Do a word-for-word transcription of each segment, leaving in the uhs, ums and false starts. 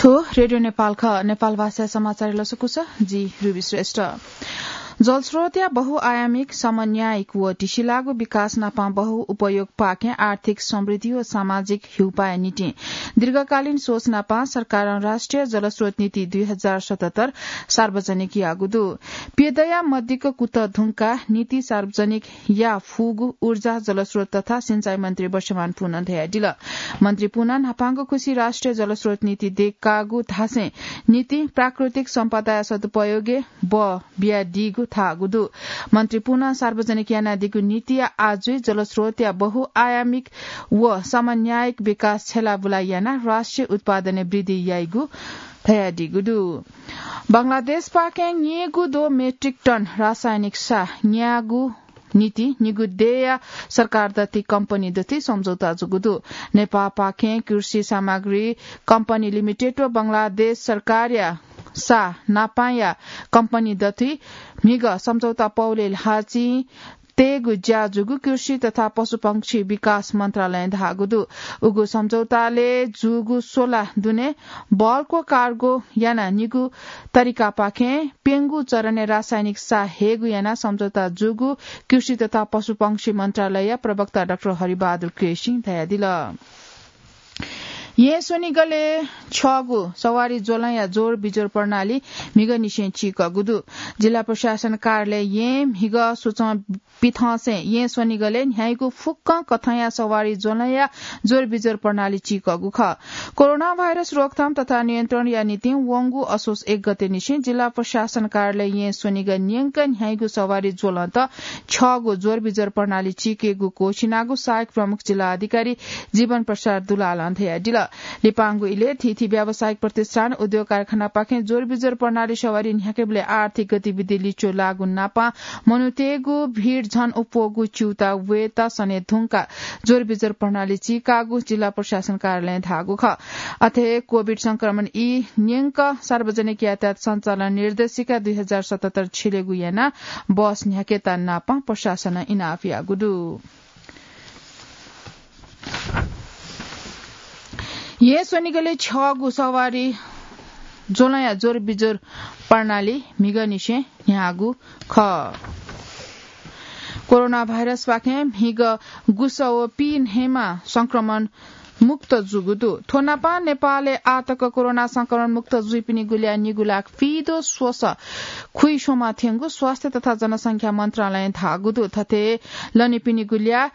थ्व रेडियो नेपाल खः। नेपाल भाषा समाचार लसकुस, जि रुबी श्रेष्ठ। जलस्रोतया बहुआयामिक, समन्यायिक व टिसिलागु विकास नापं बहुउपयोगपाखें आर्थिक समृद्धि व सामाजिक हिउपाया निंतिं दीर्घकालीन सोच नापं सरकारं राष्ट्रिय जलस्रोत नीति दुई हजार सतहत्तर सार्वजनिक याःगु दु। प्यदँया मदिक्क कुतः धुंकाः नीति सार्वजनिक या फुगु ऊर्जा, जलस्रोत तथा सिंचाई मन्त्री वर्षमान पुनन धयादिल। मन्त्री पुनन न्हापांगु खुसी राष्ट्रिय जलस्रोत नीति देकागु धासें नीतिं प्राकृतिक सम्पदाया सदुपयोगय् बः बियादीगु धाःगु दु। मन्त्री पुनन सार्वजनिक यानादीगु नीतिया आजुइ जलस्रोतया बहुआयामिक व समन्यायिक विकास छ्यलाबुला यानाः राष्ट्रिय उत्पादनय् वृद्धि याइगु धयादीगु दु। बंगलादेशपाखें न्येगू दो मेट्रिक टन रासायनिक साः न्यायेगु निंतिं निगू देय्‌या सरकार दथुइ कम्पनी दथुइ सम्झौता जूगु दु। नेपाःपाखें कृषि सामग्री कम्पनी लिमिटेड व बंगलादेश सरकारया साः नापांया कम्पनी दथुइ म्हिगः सम्झौता पौलय् ल्हाःचिं तयेगु ज्या जूगु कृषि तथा पशुपक्षी विकास मन्त्रालयं धाःगु दु। उगु सम्झौतालय् जूगु सोला दुने bulk व cargo यानाः निगू तरिकापाखें प्यंगू चरणय् रासायनिक साः हयेगु यानाः सम्झौता जूगु कृषि तथा पशुपक्षी मन्त्रालयया प्रवक्ता डाक्टर हरिबहादुर केसीं धयादिल। येँ स्वनिगलय् छ्यःगु सवारी ज्वलंया जोर बिजोर प्रणाली म्हिगःनिसें चीकःगु दु। जिल्ला प्रशासन कार्यालय येँ म्हिगः स्वचं पिथंसें येँ स्वनिगलय् न्ह्याइगु फुक्कं कथंया सवारी ज्वलंया जोर बिजोर प्रणाली चीकःगु खः। कोरोना भाइरस रोकथाम तथा नियन्त्रणया निंतिं वंगु असोज एक गतेनिसें जिल्ला प्रशासन कार्यालय येँ स्वनिगः न्यंक न्ह्याइगु सवारी ज्वलंत छ्यःगु जोर बिजोर प्रणाली चीकेगु क्वःछिनागु सहायक प्रमुख जिल्ला अधिकारी जीवन प्रसाद दुलालं धयादिल। लिपांगु इलय् थीथी व्यावसायिक प्रतिष्ठान, उद्योग कारखानापाखें जोर बिजोर प्रणाली सवारी न्ह्याकेबलय् आर्थिक गतिविधि लिच्वः लाःगु नापं मनूतय्‌गु भिड झन अप्वःगु च्यूताः वयेत सने धुंकाः जोर बिजोर प्रणाली चीकाःगु जिल्ला प्रशासन कार्यालयं धाःगु खः। अथे कोभिड संक्रमण ई न्यंक सार्वजनिक यातायात सञ्चालन निर्देशिका दुई हजार सतहत्तर छ्यलेगु यानाः बस न्ह्याकेत नापं प्रशासनं इनाप याःगु दु। येँ स्वनिगलय् छ्यःगु सवारी ज्वलंया जोर बिजोर प्रणाली म्हिगःनिसें न्ह्याःगु खः। कोरोना भाइरसपाखें म्हिगः गुसः व पीन्हय्‌म्ह संक्रमण मुक्त जूगु दु। थ्व नापं नेपालय् आःतक कोरोना संक्रमण मुक्त जुइपिनिगु ल्याः निगू लाख पीदँ स्वसः खुइस्वम्ह थ्यंगु स्वास्थ्य तथा जनसंख्या मन्त्रालयं धाःगु दु। थथे लनीपिनिगु ल्याः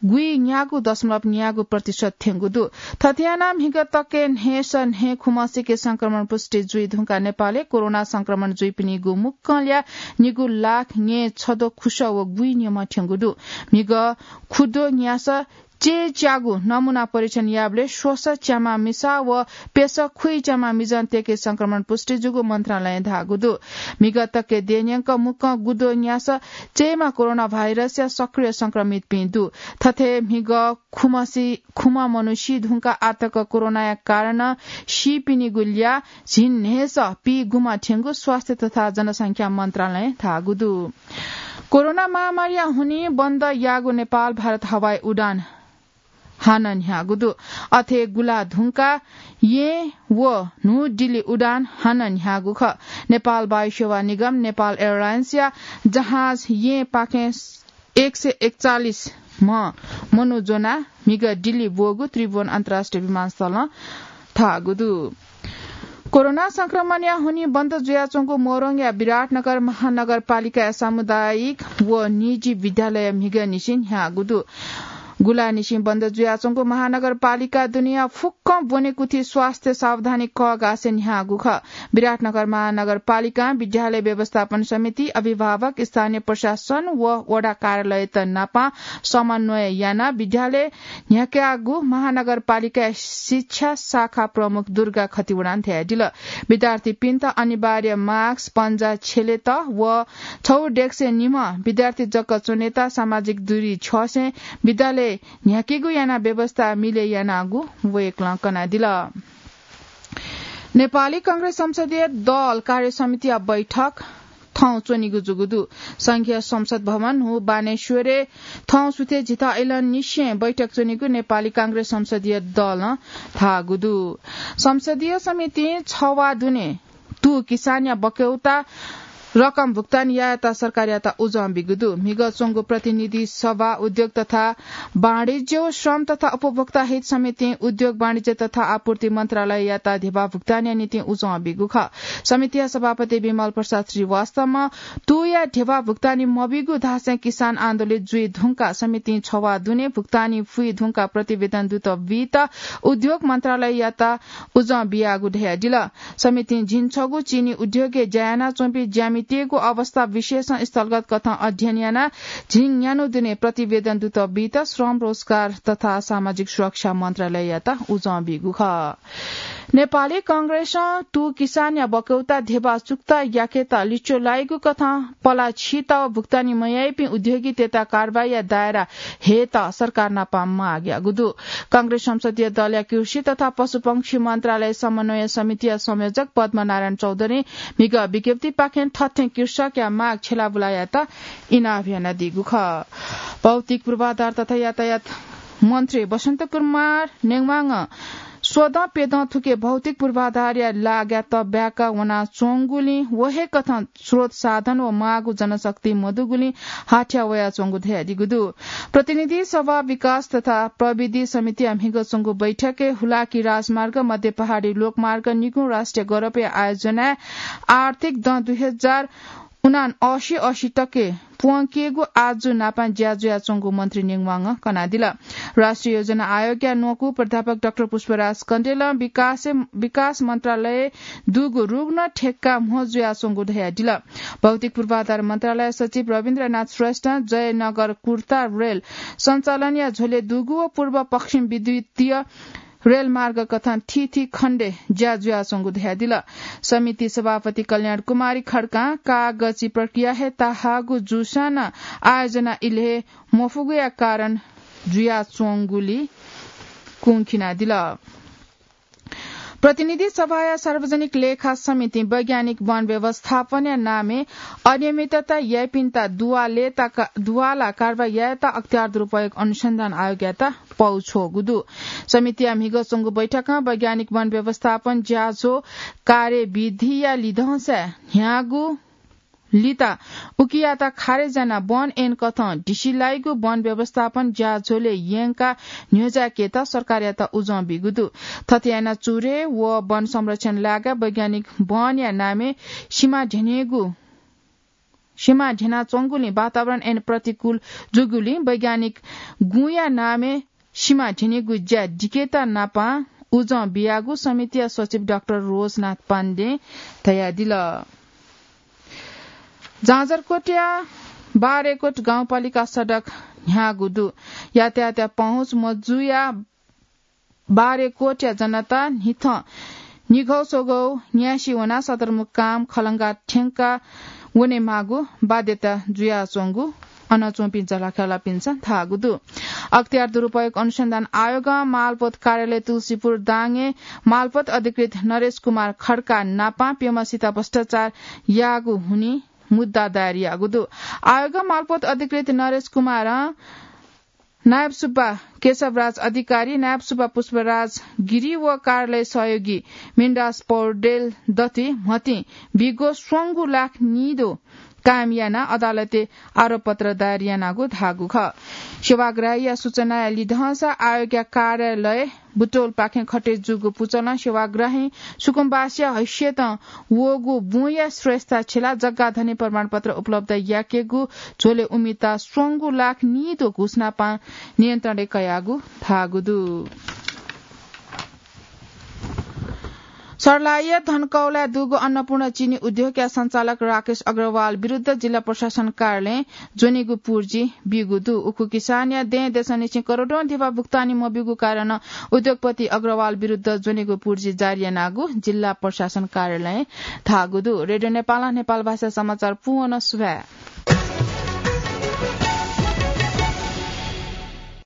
गुइन्यागू दशमलव न्यागू प्रतिशत थ्यंगु दु। थथे यानाः म्हिगः तकय् न्हय्‌सः न्हय् खुम्हसिके संक्रमण पुष्टि जुइ धुंकाः नेपालय् कोरोना संक्रमण जुइपिनिगु मुक्कं ल्याः निगू लाख न्यय् छद्वः खुसः व गुइन्यम्ह थ्यंगु दु। म्हिगः खुद्वः न्यासः चय्‌च्यागू नमूना परीक्षण याःबलय् स्वसः च्याम्ह मिसा व प्यसः खुइच्याम्ह मिजंतय्‌के संक्रमण पुष्टि जूगु मन्त्रालयं धाःगु दु। म्हिगः तकय् देय्‌न्यंक मुक्कं गुद्वः न्यासः चय्‌म्ह कोरोना भाइरसया सक्रिय संक्रमितपिं दु। थथे म्हिगः खुम्ह सि-, खुम्ह मनू सी धुंकाः आःतक कोरोनाया कारणं सीपिनिगु ल्याः झिंन्हय्‌सः पीगुम्ह थ्यंगु स्वास्थ्य तथा जनसंख्या मन्त्रालयं धाःगु दु। कोरोना महामारीया हुनिं बन्द याःगु नेपाल भारत हवाई उडान हानं न्ह्याःगु दु। अथे गुला धुंकाः येँ व न्हू दिल्ली उडान हानं न्ह्याःगु खः। नेपाल वायु सेवा निगम, नेपाल एयरलाइन्सया जहाज येँपाखें एक सय एकचालिस म्ह मनू ज्वनाः म्हिगः दिल्ली ब्वःगु त्रिभुवन अन्तर्राष्ट्रिय विमानस्थलं धाःगु दु। कोरोना संक्रमणया हुनिं बन्द जुयाच्वंगु मोरङया विराटनगर महानगरपालिकाया सामुदायिक व निजी विद्यालय म्हिगःनिसें न्ह्याःगु दु। गुलानिसें बन्द जुयाच्वंगु महानगरपालिका दुनेया फुक्कं ब्वनेकुथि स्वास्थ्य सावधानी कःघासे न्ह्याःगु खः। विराटनगर महानगरपालिकां विद्यालय व्यवस्थापन समिति, अभिभावक, स्थानीय प्रशासन व वडा कार्यालयत नापं समन्वय यानाः विद्यालय न्ह्याकागु महानगरपालिकाया शिक्षा शाखा प्रमुख दुर्गा खतिवडां धयादिल। विद्यार्थीपिन्त अनिवार्य मास्क, पन्जा छ्यलेत व छगू डेक्सय् निम्ह विद्यार्थी जक च्वनेत सामाजिक दूरी छ्यसें विद्यालय न्ह्याकेगु यानाः व्यवस्था मिले यानागु वय्‌कलं कनादिल। नेपाली कांग्रेस संसदीय दल कार्य समितिया बैठक थौं च्वनीगु जूगु दु। संघीय संसद भवन हु बानेश्वरय् थौं सुथे झिता इलंनिसें बैठक च्वनीगु नेपाली कांग्रेस संसदीय दलं धाःगु दु। संसदीय समितिं छवाः दुने तू किसानया बक्यौता रकम भुक्तानी यायेत सरकारयात उजं बीगु दु। म्हिगः च्वंगु प्रतिनिधि सभा उद्योग तथा वाणिज्य व श्रम तथा उपभोक्ता हित समितिं उद्योग वाणिज्य तथा आपूर्ति मन्त्रालययात धेबा भुक्तानीया निंतिं उजं बीगु खः। समितिया सभापति विमल प्रसाद श्रीवास्तवं तुया धेबा भुक्तानी मबीगु धासें किसान आन्दोलित जुइ धुंका समितिं छवाः दुने भुक्तानी फुइ धुंका प्रतिवेदन दुत बीत उद्योग मन्त्रालययात उजं बियागु धयादिल। समितिं झिंछगू चिनी उद्योगय् ज्या यानाच्वंपिं ज्यामितय्गु अवस्था विशेषं स्थलगत कथं अध्ययन यानाः झिंन्यान्हु दुने प्रतिवेदन दुत बीत श्रम, रोजगार तथा सामाजिक सुरक्षा मन्त्रालययात उजं बीगु खः। नेपाली कांग्रेसं तू किसानया बक्यौता धेबा चुक्ता याकेत लिच्वः लाइगु कथं पला छित भुक्तानी मयाइपिं उद्योगीतय्त कारवाहीया दायरा हयेत सरकार नाप माग याःगु दु। कांग्रेस संसदीय दलया कृषि तथा पशुपंक्षी मन्त्रालय समन्वय समितिया संयोजक पद्मनारायण चौधरीं म्हिगः विज्ञप्तिपाखें थथें कृषकया माग छ्यलाबुला यायेत इनाप यानादीगु खः। भौतिक पूर्वाधार तथा यातायात मन्त्री बसन्त कुमार नेवांगं स्वदँ प्यदँ थुके भौतिक पूर्वाधारया लागाय् तब्याका वनाच्वंगुलिं व हे कथं स्रोत साधन व माःगु जनशक्ति मदुगुलिं हाथ्या वयाच्वंगु धयादीगु दु। प्रतिनिधि सभा विकास तथा प्रविधि समितिया म्हिगः च्वंगु बैठकय् हुलाकी राजमार्ग, मध्य पहाडी लोकमार्ग, निगू राष्ट्रिय गौरवया आयोजनाय् आर्थिक दँ दुई हजार उनासी असी तके प्वंकेगु आजु नापं ज्या जुयाच्वंगु मन्त्री नेवांगं कनादिल। राष्ट्रिय योजना आयोगया न्वकू प्राध्यापक डाक्टर पुष्पराज कण्डेलं विकास, विकास मन्त्रालय दुगु रुग्ण ठेक्का म्हो जुयाच्वंगु धयादिल। भौतिक पूर्वाधार मन्त्रालय सचिव रविन्द्रनाथ श्रेष्ठं जयनगर कुर्ता रेल सञ्चालनया झ्वलय् दुगु व पूर्व पश्चिम विद्युतीय रेलमार्ग कथं थीथी खण्डय् ज्या जुयाच्वंगु धयादिल। समिति सभापति कल्याण कुमारी खड्कां कागजी प्रक्रिया हे ताहाःगु जूसां नं आयोजना इलय् मफुगुया कारण जुयाच्वंगुली कुंखिनादिल। प्रतिनिधि सभाया सार्वजनिक लेखा समितिं वैज्ञानिक वन व्यवस्थापनया नामय् अनियमितता याइपिन्त दुवालेता का-, दुवाला कारवाही यायेत अख्तियार दुरुपयोग अनुसन्धान आयोगयात पौ छ्वःगु दु। समितिया म्हिगः च्वंगु बैठकं वैज्ञानिक वन व्यवस्थापन ज्याझ्वः कार्यविधिया लिधंसाय् न्ह्याःगु लिता उकियात खारेज यानाः वन ऐन कथं ढिसिलाइगु वन व्यवस्थापन ज्याझ्वलय् यंकाः न्ह्यज्याकेत सरकारयात उजं बीगु दु। थथे यानाः चुरे व वन संरक्षण लागाय् वैज्ञानिक वनया नामय् सिमा ध्यनेगु सिमा ध्यनाच्वंगुलिं वातावरण ऐन प्रतिकूल जूगुलिं वैज्ञानिक गुँया नामय् सिमा ध्यनेगु ज्या दिकेत नापं उजं बियागु समितिया सचिव डाक्टर रोजनाथ पाण्डें धयादिल। जाजरकोटया बारेकोट गाउँपालिका सडक न्ह्याःगु दु। यातायातया पहुँच मजुया बारेकोटया जनता न्हिथं निघौ स्वघौ न्यासि वनाः सदरमुकाम खलंगा थ्यंका वनेमाःगु बाध्यता जुयाच्वंगु अन च्वंपिं जलाख्यालापिन्सं धाःगु दु। अख्तियार दुरुपयोग अनुसन्धान आयोगं मालपोत कार्यालय तुलसीपुर दाङय् मालपोत अधिकृत नरेश कुमार खड्का नापं प्यम्हसित भ्रष्टाचार याःगु हुनिं मुद्दा दायर याःगु दु। आयोगं मालपोत अधिकृत नरेश कुमारं नायब सुब्बा केशवराज अधिकारी, नायब सुब्बा पुष्पराज गिरी व कार्यालय सहयोगी मिनराज पौडेल दथुइ म्हतिं बिगो स्वंगू लाख निदँ कायम यानाः अदालतय् आरोपपत्र दायर यानागु धाःगु खः। सेवाग्राहीया सूचनाया लिधंसा आयोगया कार्यालय बुटोलपाखें खटे जूगु पुचलं सेवाग्राहीं सुकुम्बासीया हैसियतं वःगु बुँया श्रेष्ठता छ्यलाः जग्गा धनी प्रमाणपत्र उपलब्ध याकेगु झ्वलय् उमिता स्वंगू लाख निदँ घुसनापं नियन्त्रणय् कयागु धाःगु दु। सर्लाहीया धनकौलाय् दुगु अन्नपूर्ण चिनी उद्योगया सञ्चालक राकेश अग्रवाल विरुद्ध जिल्ला प्रशासन कार्यालयं ज्वनेगु पुर्जी ब्यूगु दु। उखु किसानया दँय् देशंनिसें करोडौं धेबा भुक्तानी मब्यूगु कारणं उद्योगपति अग्रवाल विरुद्ध ज्वनेगु पुर्जी जारी यानागु जिल्ला प्रशासन कार्यालयं धाःगु दु। रेडियो नेपालं नेपाल भाषा समाचार पूवं सुभाय्।